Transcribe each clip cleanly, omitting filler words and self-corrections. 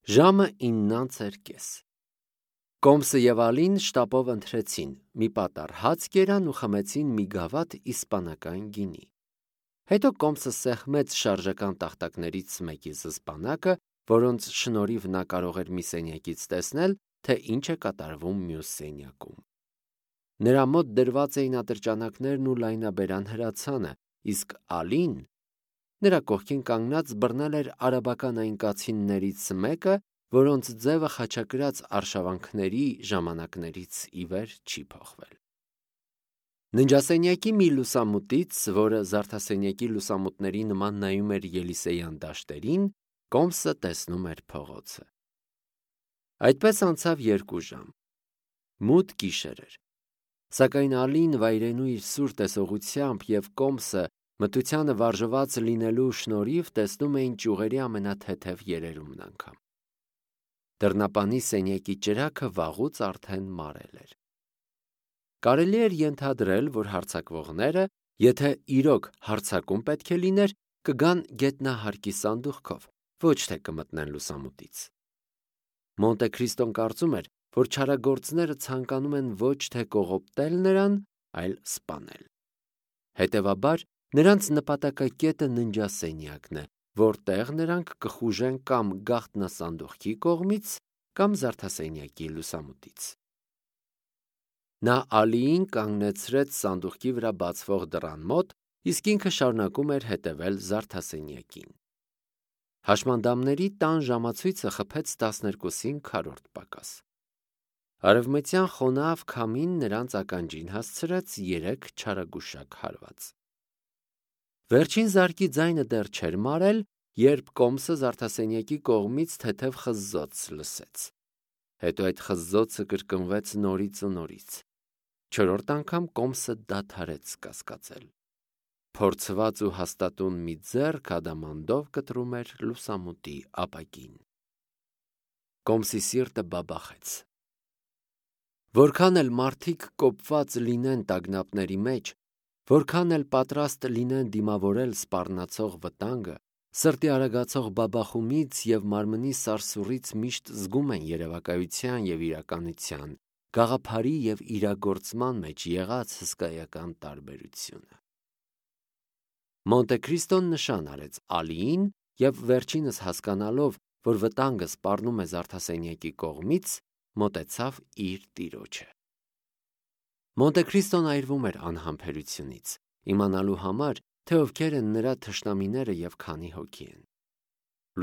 Ժամը 9:30 Կոմսը և Ալին շտապով ընթրեցին, մի պատառ հաց կերան ու խմեցին մի գավաթ իսպանական գինի։ Հետո Կոմսը սեղմեց շարժական տախտակներից մեկի զսպանակը, որոնց շնորհիվ նա կարող էր մի սենյակից տեսնել, թե ինչ է կատարվում մյուս սենյակում։ Նրա մոտ դրված էին ատրճանակներն ու լայնաբերան հրացանը, իսկ Ալին նրա կողքին կանգնած բռնել էր արաբական այն կացիններից մեկը, որոնց ձևը խաչակրած արշավանքների ժամանակներից ի վեր չի փոխվել։ Ննջասենյակի մի լուսամուտից, որը զարդասենյակի լուսամուտների նման նայում էր Ելիսեյան դաշտերին, Կոմսը տեսնում էր փողոցը։ Այդպես անցավ 2 ժամ։ Մութ գիշեր էր։ Սակայն Ալին վայրենու իր սուր տեսողությամբ և Կոմսը մթությանը վարժված լինելու շնորհիվ տեսնում էին ճյուղերի ամենաթեթև երերումն անգամ։ Դռնապանի սենյակի ճրագը վաղուց արդեն մարել էր։ Կարելի էր ենթադրել, որ հարձակվողները, եթե իրոք հարձակում պետք է լիներ, կգան գետնահարկի սանդուղքով, ոչ թե կմտնեն լուսամուտից։ Մոնտե Քրիստոն կարծում էր, որ չարագործները ցանկանում են ոչ թե կողոպտել նրան, այլ սպանել։ Հետևաբար, նրանց նպատակակետը ննջասենյակն է, որտեղ նրանք կխուժեն կամ գաղտնասանդուղքի կողմից, կամ զարդասենյակի լուսամուտից։ Նա Ալիին կանգնեցրեց սանդուղքի վրա բացվող դռան մոտ, իսկ ինքը շարունակում էր հետևել զարդասենյակին։ Հաշմանդամների տան ժամացույցը խփեց 12-ին քառորդ պակաս։ Արևմտյան խոնավ քամին նրանց ականջին հասցրեց 3 չարագուշակ հարված։ Վերջին զարկի ձայնը դեռ չէր մարել, երբ Կոմսը զարդասենյակի կողմից թեթև խզզոց լսեց։ Հետո այդ խզզոցը կրկնվեց նորից ու նորից։ 4-րդ անգամ Կոմսը դադարեց կասկածել։ Փորձված ու հաստատուն մի ձեռք ադամանդով կտրում էր լուսամուտի ապակին։ Կոմսի սիրտը բաբախեց։ Որքան էլ մարդիկ կոպված լինեն տագնապների մեջ, որքան էլ պատրաստ լինեն դիմավորել սպառնացող վտանգը, սրտի արագացող բաբախումից և մարմնի սարսուռից միշտ զգում են երևակայության և իրականության, գաղափարի և իրագործման մեջ եղած հսկայական տարբերությունը։ Մոնտե Քրիստոն նշան արեց Ալիին և վերջինս հասկանալով, որ վտանգը սպառնում է զարդասենյակի կողմից, մոտեցավ իր տիրոջը։ Մոնտե Քրիստոն այրվում էր անհամբերությունից, իմանալու համար, թե ովքեր են նրա թշնամիները և քանի հոգի են։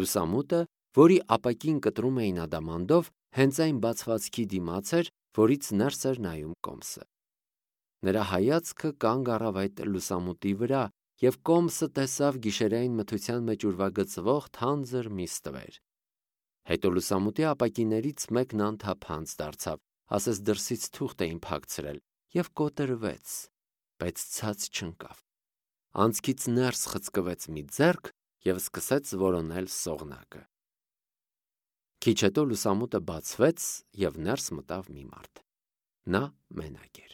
Լուսամուտը, որի ապակին կտրում էին ադամանդով, հենց այն բացվածքի դիմաց էր, որից ներս էր նայում Կոմսը։ Նրա հայացքը կանգ առավ այդ լուսամուտի վրա, և Կոմսը տեսավ գիշերային մթության մեջ ուրվագծվող թանձր մի ստվեր։ Հետո լուսամուտի ապակիներից մեկն անթափանց դարձավ, ասես դրսից թուղթ էին փակցրել, և կոտրվեց, բայց ցած չընկավ։ Անցքից ներս խցկվեց մի ձեռք և սկսեց որոնել սողնակը։ Քիչ հետո լուսամուտը բացվեց, և ներս մտավ մի մարդ։ Նա մենակ էր։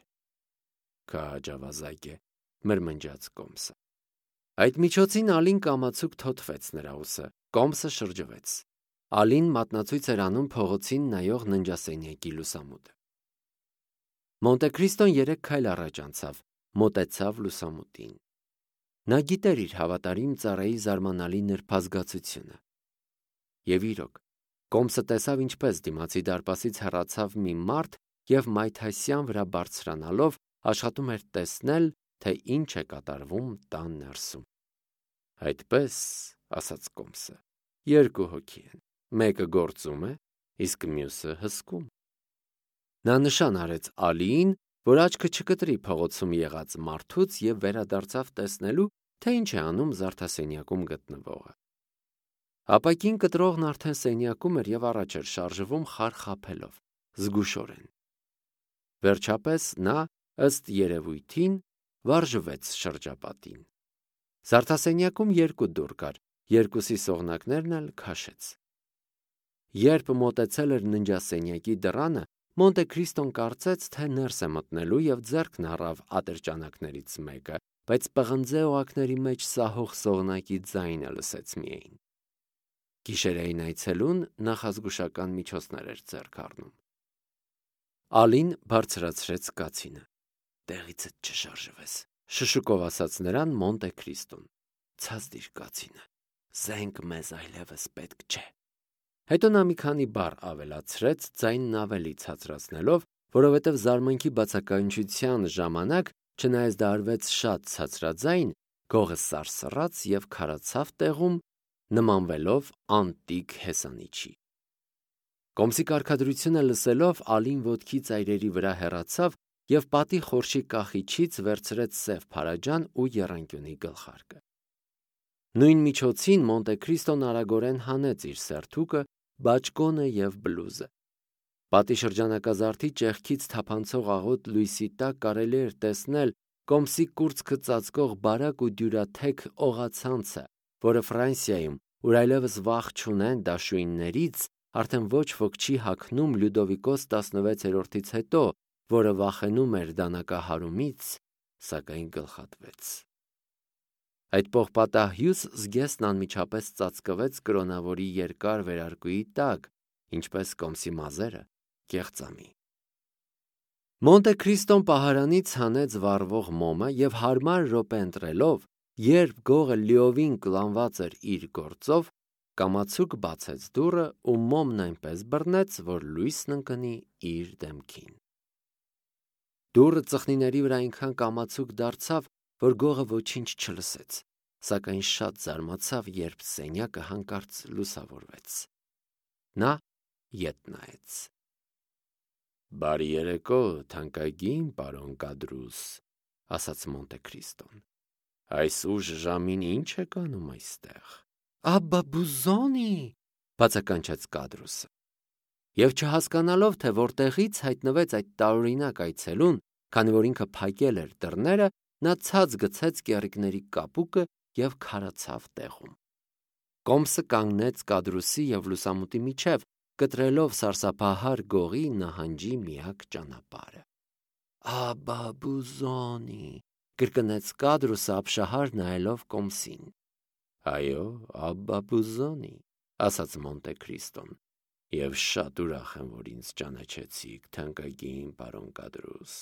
Քաջ ավազակ է, մրմնջաց Կոմսը։ Այդ միջոցին Ալին կամացուկ թոթվեց նրա ուսը, Կոմսը շրջվեց։ Ալին մատնացույց էր անում փողոցին նայող ննջասենյակի լուսամուտը։ Մոնտե Քրիստոն 3 քայլ առաջ անցավ, մոտեցավ լուսամուտին։ Նա գիտեր իր հավատարիմ ծառայի զարմանալի նրբազգացությունը։ Եվ իրոք, Կոմսը տեսավ, ինչպես դիմացի դարպասից հեռացավ մի մարդ և մայթասյան վրա բարձրանալով աշխատում էր տեսնել, թե ինչ է կատարվում տան ներսում։ Այդպես, ասաց Կոմսը, 2 հոգի են, մեկը գործում է, իսկ մյուսը հսկում։ Նա նշան արեց Ալիին, որ աչքը չկտրի փողոցում եղած մարդուց և վերադարձավ տեսնելու, թե ինչ է անում զարդասենյակում գտնվողը։ Ապակին կտրողն արդեն սենյակում էր և առաջ էր շարժվում խարխափելով, զգուշորեն։ Վերջապես նա, ըստ երևույթին, վարժվեց շրջապատին։ Զարդասենյակում 2 դուռ կար, երկուսի սողնակներն էլ քաշեց։ Երբ մոտեցել էր ննջասենյակի դռանը, Մոնտե Քրիստոն կարծեց, թե ներս է մտնելու և ձեռքն առավ ատրճանակներից մեկը, բայց պղնձե օղակների մեջ սահող սողնակի ձայնը լսեց միայն։ Գիշերային այցելուն նախազգուշական միջոցներ էր ձեռք առնում։ Ալին բարձրացրեց կացինը։ «Տեղիցդ չշարժվես», շշուկով ասաց նրան Մոնտե Քրիստոն։ «Ցածդիր կացինը, զենք մեզ այլևս պետք չէ»։ Հետո նա մի քանի բառ ավելացրեց, ձայնն ավելի ցածրացնելով, որովհետև զարմանքի բացականչության ժամանակ, չնայած դա արվեց շատ ցածրաձայն, գողը սարսռաց և քարացավ տեղում, նմանվելով անտիկ հեսանիչի։ Կոմսի կարգադրությունը լսելով, Ալին ոտքի ծայրերի վրա հեռացավ և պատի խորշի կախիչից վերցրեց սև փարաջան ու եռանկյունի գլխարկը։ Նույն միջոցին Մոնտե Քրիստոն արագորեն հանեց իր սերթուկը, բաճկոնը և բլուզը։ Պատի շրջանակազարդի ճեղքից թափանցող աղոտ լույսի տակ կարելի էր տեսնել Կոմսի կուրծքը ծածկող բարակ ու դյուրաթեք օղացանցը, որը Ֆրանսիայում, ուր այլևս վախ չունեն դաշույններից, արդեն ոչ ոք չի հագնում Լյուդովիկոս 16-ից հետո, որը վախենում էր դանակահարումից, սակայն գլխատվեց։ Այդ պողպատահյուս զգեստն անմիջապես ծածկվեց կրոնավորի երկար վերարկուի տակ, ինչպես Կոմսի մազերը կեղծամի։ Մոնտե Քրիստոն պահարանից հանեց վառվող մոմը և հարմար րոպե ընտրելով, երբ գողը լիովին կլանված էր իր գործով, կամացուկ բացեց դուռը ու մոմն այնպես բռնեց, որ լույսն ընկնի իր դեմքին։ Դուռը ծխնիների վրա այնքան կամացուկ դարձավ, որ գողը ոչինչ չլսեց, սակայն շատ զարմացավ, երբ սենյակը հանկարծ լուսավորվեց։ Նա ետ նայեց։ «Բարի երեկո, թանկագին պարոն Կադրուս», ասաց Մոնտե Քրիստոն։ «Այս ուշ ժամին ինչ եք անում այստեղ»։ «Աբբա Բուզոնի», բացականչեց Կադրուսը։ Եվ չհասկանալով, թե որտեղից հայտնվեց այդ տարօրինակ այցելուն, քանի որ ինքը փակել էր դռները, նա ցած գցեց կեռիկների կապուկը և քարացավ տեղում։ Կոմսը կանգնեց Կադրուսի և լուսամուտի միջև, կտրելով սարսափահար գողի նահանջի միակ ճանապարհը։ «Աբբա Բուզոնի», կրկնեց Կադրուսը ապշահար նայելով Կոմսին։ «Այո, Աբբա Բուզոնի», ասաց Մոնտե Քրիստոն, «և շատ ուրախ եմ, որ ինձ ճանաչեցիք, թանկագին պարոն Կադրուս։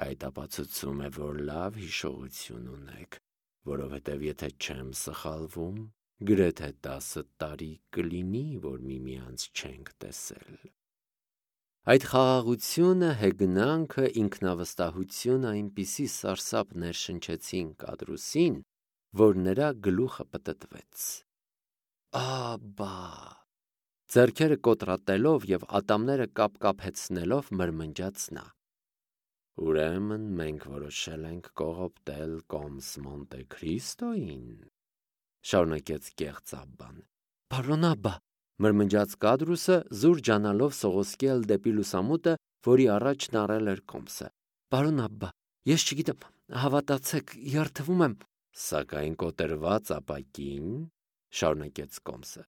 Այդ ապացուցում է, որ լավ հիշողություն ունեք, որովհետև եթե չեմ սխալվում, գրեթե 10 տարի կլինի, որ միմյանց չենք տեսել»։ Այդ խաղաղությունը, հեգնանքը, ինքնավստահությունը այնպիսի սարսափ ներշնչեցին Կադրուսին, որ նրա գլուխը պտտվեց։ «Աբբա», ձեռքերը կոտրատելով և ատամները կապկապեցնելով մրմնջաց նա։ «Ուրեմն մենք որոշել ենք կողոպտել Կոմս Մոնտե Քրիստոյին», շարունակեց կեղծ Աբբան։ «Պարոն Աբբա», մրմնջաց Կադրուսը, զուր ջանալով սողոսկել դեպի լուսամուտը, որի առաջն առել էր Կոմսը։ «Պարոն Աբբա, ես չգիտեմ, հավատացեք, երդվում եմ»։ «Սակայն կոտրված ապակին», շարունակեց Կոմսը,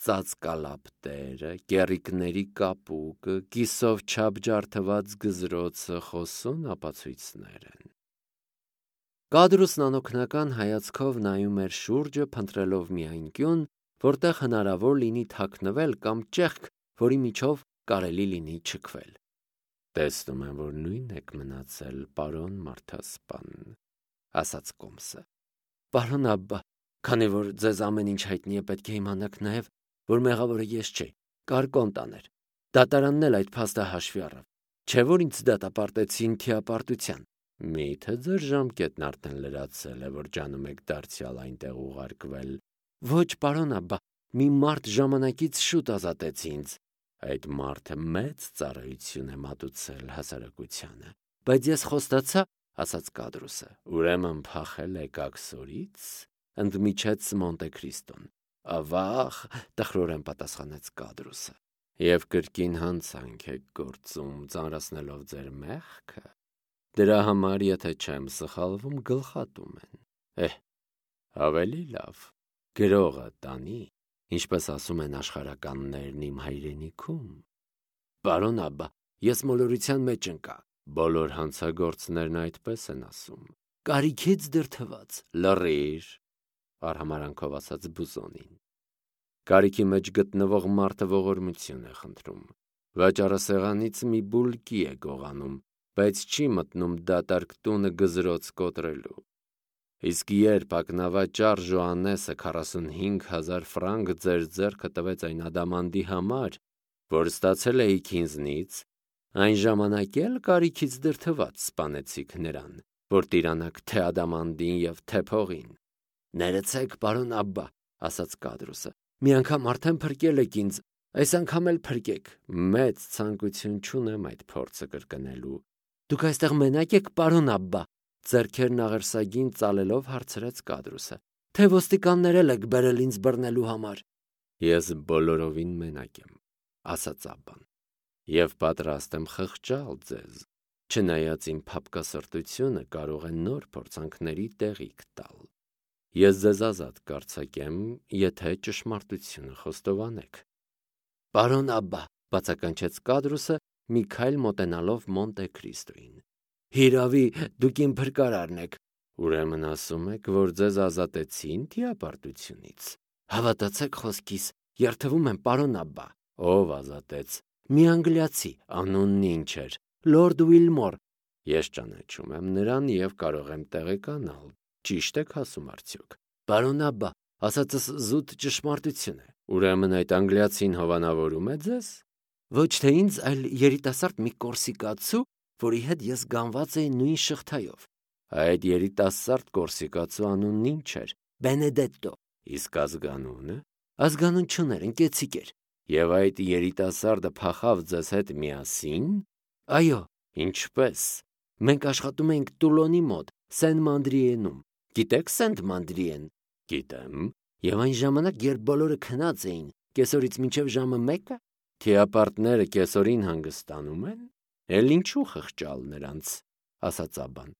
«ծածկալապտերը, կեռիկների կապուկը, կիսով չափ ջարդված գզրոցը խոսուն ապացույցներ են»։ Կադրուսն անօգնական հայացքով նայում էր շուրջը, փնտրելով մի անկյուն, որտեղ հնարավոր լինի թաքնվել կամ ճեղք, որի միջով կարելի լինի չքվել։ «Տեսնում եմ, որ նույնն եք մնացել, պարոն մարդասպան», ասաց Կոմսը։ «Պարոն Աբբա, քանի որ ձեզ ամեն ինչ հայտնի է, պետք է իմանաք նաև, որ մեղավորը ես չէի, կար Կոնտան էր։ Դատարանն էլ այդ փաստը հաշվի առավ, չէ՞ որ ինձ դատապարտեցին թիապարտության»։ «Մի՞թե ձեր ժամկետն արդեն լրացել է, որ ջանում եք դարձյալ այնտեղ ուղարկվել»։ «Ոչ, պարոն Աբբա, մի մարդ ժամանակից շուտ ազատեց ինձ»։ «Այդ մարդը մեծ ծառայություն է մատուցել հասարակությանը»։ «Բայց ես խոստացա», ասաց Կադրուսը։ «Ուրեմն փախել եք աքսորից», ընդմիջեց Մոնտե Քրիստոն։ «Ավաղ», տխրորեն պատասխանեց Կադրուսը։ «Եվ կրկին հանցանք եք գործում, ծանրացնելով ձեր մեղքը։ Դրա համար, եթե չեմ սխալվում, գլխատում են։ Ավելի լավ, գրողը տանի, ինչպես ասում են աշխարհականներն իմ հայրենիքում»։ «Պարոն Աբբա, ես մոլորության մեջ ընկա»։ «Բոլոր հանցագործներն այդպես են ասում»։ «Կարիքից դրդված»։ «Լռիր», արհամարանքով ասաց Բուզոնին։ Կարիքի մեջ գտնվող մարդը ողորմություն է խնդրում։ Վաճառասեղանից մի բուլկի է գողանում, բայց չի մտնում դատարկ տունը գզրոց կոտրելու։ Իսկ երբ ակնավաճառ Ժոաննեսը 45,000 ֆրանկ ձեր ձեռքը տվեց այն ադամանդի համար, որ ստացել էիք ինձնից, այն ժամանակ էլ կարիքից դրդված սպանեցիք նրան, որ տիրանաք թե ադամանդին և թե փողին։ Ներեցեք, պարոն Աբբա, ասաց Կադրուսը, մի անգամ արդեն փրկել եք ինձ, այս անգամ էլ փրկեք։ Մեծ ցանկություն չունեմ այդ փորձը կրկնելու։ Դուք այստեղ մենակ եք, պարոն Աբբա, ձեռքերն աղերսագին ծալելով հարցրեց Կադրուսը, թե ոստիկաններ եք բերել ինձ բռնելու համար։ Ես բոլորովին մենակ եմ, ասաց Աբբան, և պատրաստ եմ խղճալ ձեզ, չնայած իմ փափկասրտությունը կարող է նոր փորձանքների տեղիք տալ։ Ես ձեզ ազատ կարձակեմ, եթե ճշմարտությունը խոստովանեք։ Պարոն Աբբա, բացականչեց Կադրուսը, մի քայլ մոտենալով Մոնտե Քրիստոյին։ Հիրավի, դուք իմ փրկարարն եք։ Ուրեմն ասում եք, որ ձեզ ազատեցին թիապարտությունից։ Հավատացեք խոսքիս, երդվում եմ, պարոն Աբբա։ Ով ազատեց։ Մի անգլիացի, անունն ինչ էր, Լորդ Ուիլմոր։ Ես ճանաչում եմ նրան և կարող եմ տեղեկանալ։ Ճիշտ եք ասում արդյոք։ Պարոն Աբբա, ասածս զուտ ճշմարտություն է։ Ուրեմն այդ անգլիացին հովանավորում է ձեզ։ Ոչ թե ինձ, այլ երիտասարդ մի կորսիկացու, որի հետ ես գանված էի նույն շղթայով։ Այդ երիտասարդ կորսիկացու անունն ինչ էր։ Բենեդետտո։ Իսկ ազգանունը։ Ազգանուն չուներ, ընկեցիկ էր։ Եվ այդ երիտասարդը փախավ ձեզ հետ միասին։ Այո։ Ինչպես։ Մենք աշխատում էինք Տուլոնի մոտ, Սեն-Մանդրիենում։ Գիտեք Սենտ-Մանդրիեն։ Գիտեմ։ Եվ այն ժամանակ, երբ բոլորը քնած էին, կեսօրից մինչև ժամը 1-ը, թիապարտները կեսօրին հանգստանում են, էլ ինչու խղճալ նրանց, ասաց Աբբան։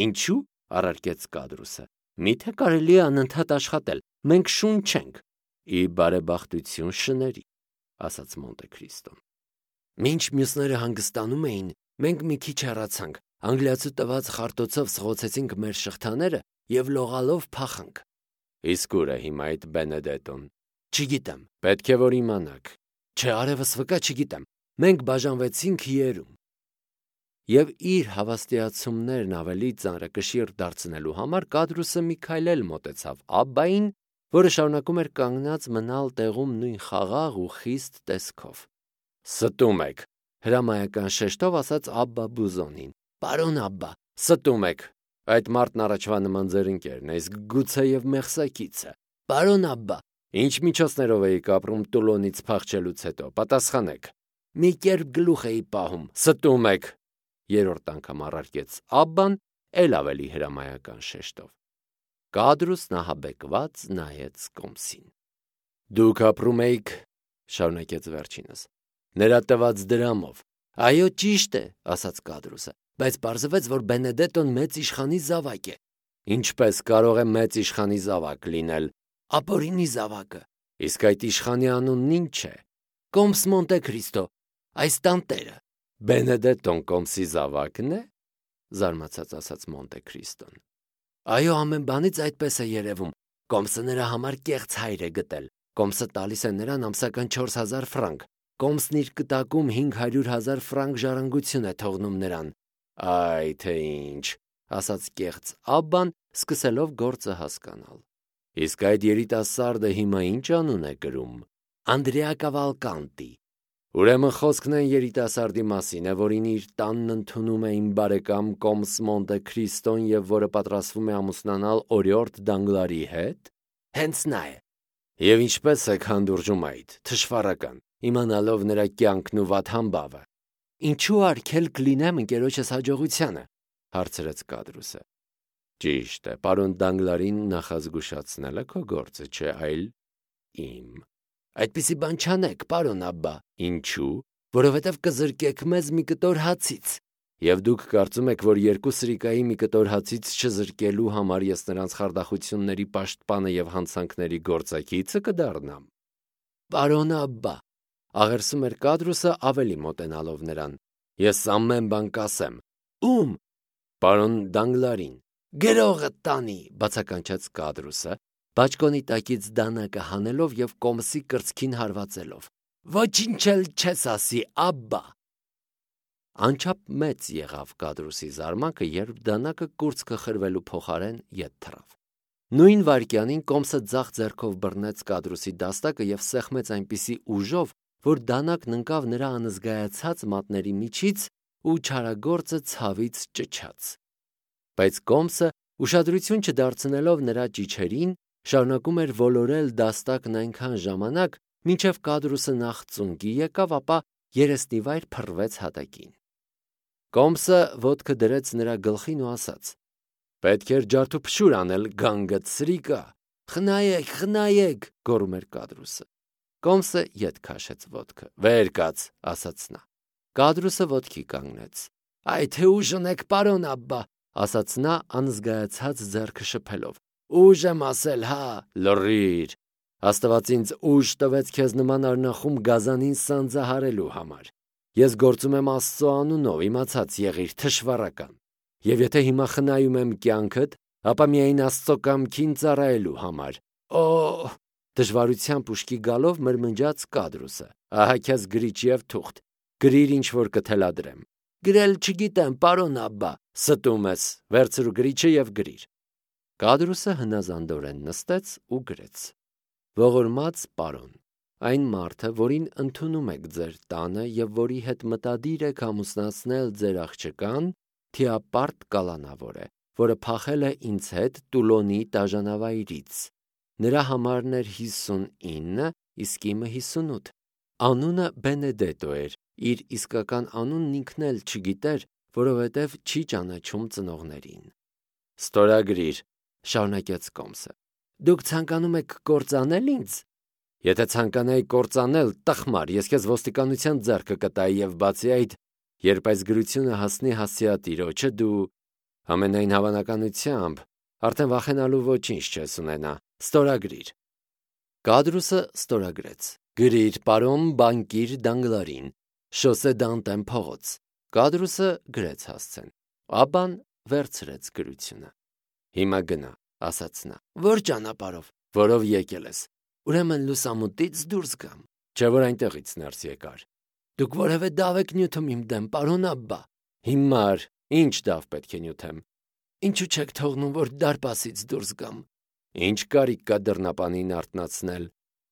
Ինչու, առարկեց Կադրուսը, միթե կարելի է անընդհատ աշխատել, մենք շուն չենք։ Ի բարեբախտություն շների, ասաց Մոնտե Քրիստոն։ Մինչ մյուսները հանգստանում էին, մենք մի քիչ հեռացանք, անգլիացու տված խարտոցով սղոցեցինք մեր շղթաները և լողալով փախանք։ Իսկ ուր է հիմա այդ Բենեդետոն։ Չգիտեմ, պետք է որ իմանաք։ Չէ, արևս վկա չգիտեմ։ Մենք բաժանվեցինք երում։ Եվ իր հավաստիացումներն ավելի ծանրակշիռ դարձնելու համար Կադրուսը մի քայլ էլ մոտեցավ Աբբային, որը շարունակում էր կանգնած մնալ տեղում նույն խաղաղ ու խիստ տեսքով։ Ստում եք, հրամայական շեշտով ասաց Աբբա Բուզոնին։ Պարոն Աբբա, ստում եք։ Այդ մարդն առաջվա նման ձեր ընկերն է, իսկ գուցեև մեղսակիցը։ Պարոն Աբբա, ինչ միջոցներով էիք ապրում Տուլոնից փախչելուց հետո, պատասխանեք։ Մի կերպ գլուխ էի պահում, ստում եք։ Երրորդ անգամ առարկեց Աբբան, էլ ավելի հրամայական շեշտով։ Կադրուսն ահաբեկված նայեց կոմսին։ Դուք ապրում էիք, շարունակեց վերջինս, նրա տված դրամով։ Այո, ճիշտ է, ասաց Կադրուսը, բայց պարզվեց, որ Բենեդետոն մեծ իշխանի զավակ է։ Ինչպես կարող է մեծ իշխանի զավակ լինել։ Ապօրինի զավակը։ Իսկ այդ իշխանի անունն ինչ է։ Կոմս Մոնտե Քրիստո, այս տանտերը։ Բենեդետոն կոմսի զավակն է, զարմացած ասաց Մոնտե Քրիստոն։ Այո, ամեն բանից այդպես է երևում։ Կոմսը նրա համար կեղծ հայր է գտել։ Կոմսը տալիս է նրան ամսական 4000 ֆրանկ։ Կոմսն իր կտակում 500,000 ֆրանկ ժառանգություն է թողնում նրան։ Այ թե ինչ, ասաց կեղծ Աբբան, սկսելով գործը հասկանալ։ Իսկ այդ երիտասարդը հիմա ինչ անուն է կրում։ Անդրեա Կավալկանտի։ Ուրեմն խոսքն այն երիտասարդի մասին է, որին իր տանն ընդունում է իմ բարեկամ Կոմս Մոնտե Քրիստոն և որը պատրաստվում է ամուսնանալ օրիորդ Դանգլարի հետ։ Հենց նա է։ Եվ ինչպես եք հանդուրժում այդ, թշվառական, իմանալով նրա կյանքն ու վատ համբավը։ Ինչու արգել կլինեմ ընկերոջս հաջողությանը, հարցրեց Կադրուսը։ Ճիշտ է, պարոն Դանգլարին նախազգուշացնելը քո գործը չէ, այլ իմ։ Այդպիսի բան չանեք, պարոն Աբբա։ Ինչու։ Որովհետև կզրկեք մեզ մի կտոր հացից։ Եվ դուք կարծում եք, որ 2 սրիկայի մի կտոր հացից չզրկելու համար ես նրանց խարդախությունների պաշտպանը և հանցանքների գործակիցը կդառնամ։ Պարոն Աբբա, աղերսում էր Կադրուսը ավելի մոտենալով նրան։ Ես ամեն բան կասեմ։ Ում։ Պարոն Դանգլարին։ Գրողը տանի, բացականչեց Կադրուսը, բաճկոնի տակից դանակը հանելով և կոմսի կրծքին հարվածելով։ «Ոչինչ էլ չես ասի, աբբա»։ Անչափ մեծ եղավ Կադրուսի զարմանքը, երբ դանակը կուրծքը խրվելու փոխարեն ետ թռավ։ Նույն վայրկյանին կոմսը ձախ ձեռքով բռնեց Կադրուսի դաստակը և սեղմեց այնպիսի ուժով, որ դանակն ընկավ նրա անզգայացած մատների միջից ու չարագործը ցավից ճչաց։ Բայց կոմսը, ուշադրություն չդարձնելով նրա ճիչերին, շարունակում էր ոլորել դաստակն այնքան ժամանակ, մինչև Կադրուսը նախ ծունկի եկավ, ապա երեսնիվայր փռվեց հատակին։ Կոմսը ոտքը դրեց նրա գլխին ու ասաց. «Պետք էր ջարդուփշուր անել, գանգդ սրիկա»։ «Խնայեք, խնայեք», գոռում էր Կադրուսը։ Կոմսը ետ քաշեց ոտքը։ «Վեր կաց», ասաց նա։ Կադրուսը ոտքի կանգնեց։ «Այ թե ուժ ունեք, պարոն աբբա», ասաց նա անզգայացած ձեռքը շփելով։ «Ուժ եմ ասել, հա, լռիր։ Աստված ինձ ուժ տվեց քեզ նման արնախում գազանին սանձահարելու համար։ Ես գործում եմ Աստծո անունով, իմացած եղիր, թշվառական։ Եվ եթե հիմա խնայում եմ կյանքդ, ապա միայն Աստծո կամքին ծառայելու համար։ Օ՜», դժվարությամբ ուշքի գալով մրմնջաց Կադրուսը։ «Ահա քեզ գրիչ և թուղթ, գրիր ինչ որ կթելադրեմ»։ «Գրել չգիտեմ, պարոն աբբա»։ «Ստում ես, վերցրու գրիչը և գրիր»։ Կադրուսը հնազանդորեն նստեց ու գրեց. «Ողորմած պարոն, այն մարդը, որին ընդունում եք ձեր տանը և որի հետ մտադիր եք ամուսնացնել ձեր աղջկան, թիապարտ կալանավոր է, որը փախել է ինձ հետ Տուլոնի տաժանավայրից։ Նրա համարն էր 59, իսկ իմը 58։ Անունը Բենեդետո էր, իր իսկական անունն ինքն էլ չգիտեր, որովհետև չի ճանաչում ծնողներին»։ «Ստորագրիր», շարունակեց Կոմսը։ «Դուք ցանկանում եք կործանել ինձ»։ «Եթե ցանկանայի կործանել, տխմար, ես քեզ ոստիկանության ձեռքը կտայի և բացի այդ, երբ այս գրությունը հասնի հասցեատիրոջը, դու ամենայն հավանականությամբ արդեն վախենալու ոչինչ չես ունենա։ Ստորագրիր»։ Կադրուսը ստորագրեց. «Գրիր պարոն բանկիր Դանգլարին, Շոսե Դանտեն փողոց»։ Կադրուսը գրեց հասցեն։ Աբբան վերցրեց գրությունը։ «Հիմա գնա», ասաց նա։ «Ո՞ր ճանապարհով»։ «Որով եկել ես»։ «Ուրեմն լուսամուտից դուրս գամ»։ «Չէ՞ որ այնտեղից ներս եկար»։ «Դուք որևէ դավ եք նյութում իմ դեմ, պարոն աբբա»։ «Հիմար, ի՞նչ դավ պետք է նյութեմ»։ «Ինչու չեք թողնում, որ դարպասից դուրս գամ»։ «Ինչ կարիք կա դռնապանին արթնացնել»։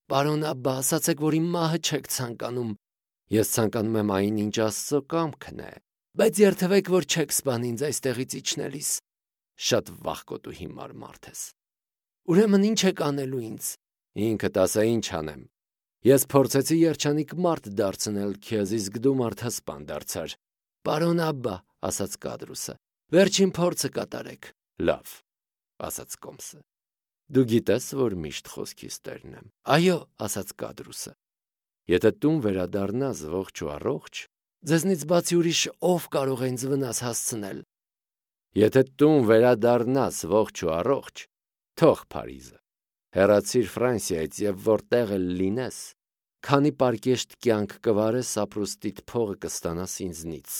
«Պարոն աբբա, ասացեք, որ իմ մահը չեք ցանկանում»։ «Ես ցանկանում եմ այն, ինչ Աստծո կամքն է»։ «Բայց երդվեք, որ չեք սպանի ինձ այստեղից իջնելիս»։ «Շատ վախկոտ ու հիմար մարդ ես»։ «Ուրեմն ի՞նչ եք անելու ինձ»։ «Ինքդ ասա, ինչ անեմ։ Ես փորձեցի երջանիկ մարդ դարձնել քեզ, իսկ դու մարդասպան դարձար»։ «Պարոն աբբա», ասաց Կադրուսը, «վերջին փորձը կատարեք»։ «Լավ», ասաց Կոմսը։ «Դու գիտես, որ միշտ խոսքիս տերն եմ»։ «Այո», ասաց Կադրուսը։ «Եթե տուն վերադառնաս ողջ ու առողջ, ձեզնից բացի ուրիշ ով կարող է ինձ վնաս հասցնել»։ «Եթե տուն վերադառնաս ողջ ու առողջ, թող Փարիզը, հեռացիր Ֆրանսիայից և որտեղ էլ լինես, քանի պարկեշտ կյանք կվարես, ապրուստիդ փողը կստանաս ինձնից,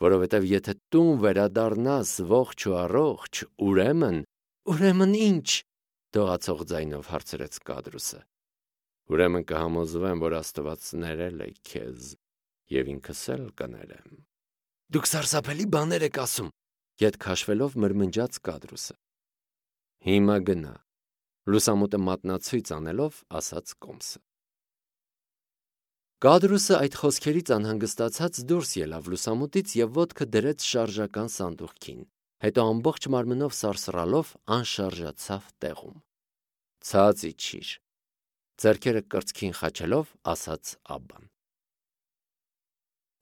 որովհետև եթե տուն վերադառնաս ողջ ու առողջ, ուրեմն ի՞նչ», դողացող ձայնով հարցրեց Կադրուսը։ «Ուրեմն կհամոզվեմ, որ Աստված ներել է քեզ, և ինքս էլ կներեմ»։ «Դուք սարսափելի բաներ եք ասում», ետ քաշվելով մրմնջաց Կադրուսը։ «Հիմա գնա», լուսամուտը մատնացույց անելով ասաց Կոմսը։ Կադրուսը այդ խոսքերից անհանգստացած դուրս ելավ լուսամուտից և ոտքը դրեց շարժական սանդուղքին, հետո ամբողջ մարմնով սարսռալով անշարժացավ տեղում։ «Ցած իջիր», ձեռքերը կրծքին խաչելով ասաց աբբան։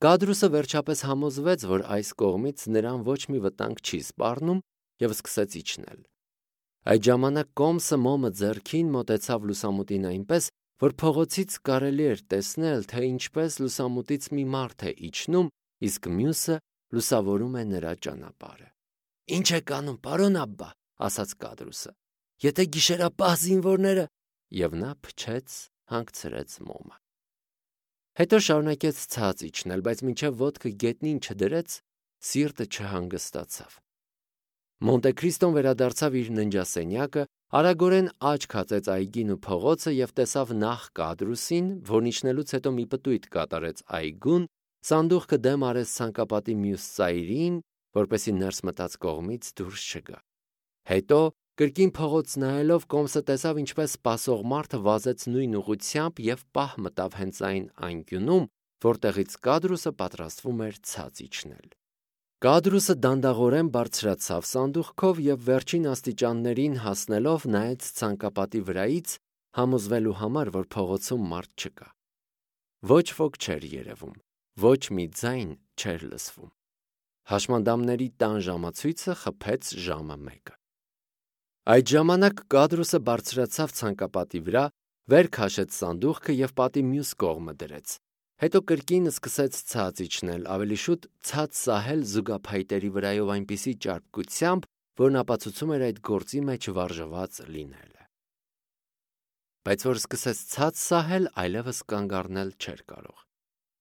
Կադրուսը վերջապես համոզվեց, որ այս կողմից նրան ոչ մի վտանգ չի սպառնում և սկսեց իջնել։ Այդ ժամանակ Կոմսը մոմը ձեռքին մոտեցավ լուսամուտին այնպես, որ փողոցից կարելի էր տեսնել, թե ինչպես լուսամուտից մի մարդ է իջնում, իսկ մյուսը լուսավորում է նրա ճանապարհը։ «Ինչ եք անում, պարոն աբբա», ասաց Կադրուսը։ «Եթե գիշերապահ զինվորները…» Եվ նա փչեց, հանգցրեց մոմը։ Հետո շարունակեց ցած իջնել, բայց մինչև ոտքը գետնին չդրեց, սիրտը չհանգստացավ։ Մոնտե Քրիստոն վերադարձավ իր ննջասենյակը, Արագորեն աչք հացեց այգին ու փողոցը և տեսավ նախ Կադրուսին, որն իջնելուց հետո մի պտույտ կատարեց այգուն, սանդուղքը դեմ արեց ցանկապատի մյուս ծայրին, որպեսզի ներս մտած կողմից դուրս չգա։ Հետո, կրկին փողոց նայելով, կոմսը տեսավ, ինչպես սպասող մարդը վազեց նույն ուղղությամբ և պահ մտավ հենց այն անկյունում, որտեղից Կադրուսը պատրաստվում էր ցած իջնել։ Կադրուսը դանդաղորեն բարձրացավ սանդուղքով և վերջին աստիճաններին հասնելով նայեց ցանկապատի վրայից, համոզվելու համար, որ փողոցում մարդ չկա։ Ոչ ոք չէր երևում, ոչ մի ձայն չէր լսվում։ Հաշմանդամների տան ժամացույցը խփեց ժամը 1-ը։ Այդ ժամանակ Կադրուսը բարձրացավ ցանկապատի վրա, վեր քաշեց սանդուղքը և պատի մյուս կողմը դրեց։ Հետո կրկին սկսեց ցած իջնել, ավելի շուտ ցած սահել զուգափայտերի վրայով այնպիսի ճարպկությամբ, որն ապացուցում էր այդ գործի մեջ վարժված լինելը։ Բայց որ սկսեց ցած սահել, այլևս կանգ առնել չէր կարող։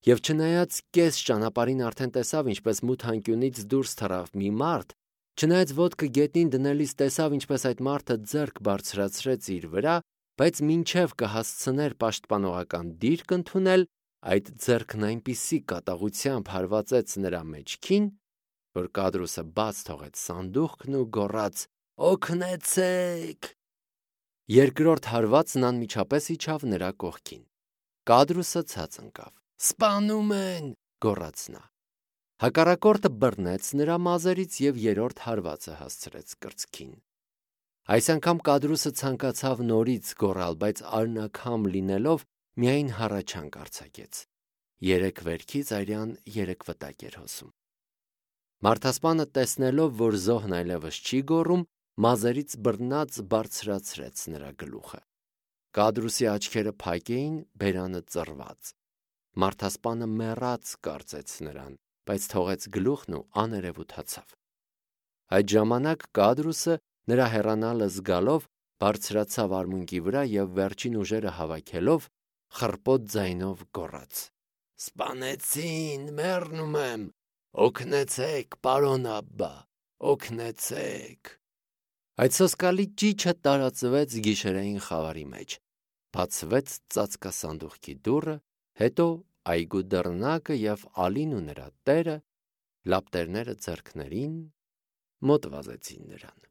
Եվ չնայած կես ճանապարհին արդեն տեսավ, ինչպես մութ անկյունից դուրս թռավ մի մարդ, չնայած ոտքը գետնին դնելիս տեսավ, ինչպես այդ մարդը ձեռք բարձրացրեց իր վրա, բայց մինչև կհասցներ պաշտպանողական դիրք ընդունել, այդ ձեռքն այնպիսի կատաղությամբ հարվածեց նրա մեջքին, որ Կադրուսը բաց թողեց սանդուղքն ու գոռաց. «Օգնեցե՛ք»։ Երկրորդ հարվածն անմիջապես իջավ նրա կողքին։ Կադրուսը ցած ընկավ։ «Սպանում են», գոռաց նա։ Հակառակորդը բռնեց նրա մազերից և երրորդ հարվածը հասցրեց կրծքին։ Այս անգամ Կադրուսը ցանկացավ նորից գոռալ, բայց արնաքամ լինելով միայն հառաչանք արձակեց։ 3 վերքից արյան 3 վտակ էր հոսում։ Մարդասպանը տեսնելով, որ զոհն այլևս չի գոռում, մազերից բռնած բարձրացրեց նրա գլուխը։ Կադրուսի աչքերը փակ էին, բերանը ծռված։ Մարդասպանը մեռած կարծեց նրան, բայց թողեց գլուխն ու աներևութացավ։ Այդ ժամանակ Կադրուսը, նրա հեռանալը զգալով, բարձրացավ արմունկի վրա և վերջին ուժերը հավաքելով, խռպոտ ձայնով գոռաց. «Սպանեցին, մեռնում եմ, օգնեցեք, պարոն Աբբա, օգնեցեք»։ Այդ սոսկալի ճիչը տարածվեց գիշերային խավարի մեջ, բացվեց ծածկասանդուղքի դուռը, հետո այգու դռնակը և Ալին ու նրա տերը, լապտերները ձեռքներին, մոտ վազեցին նրան։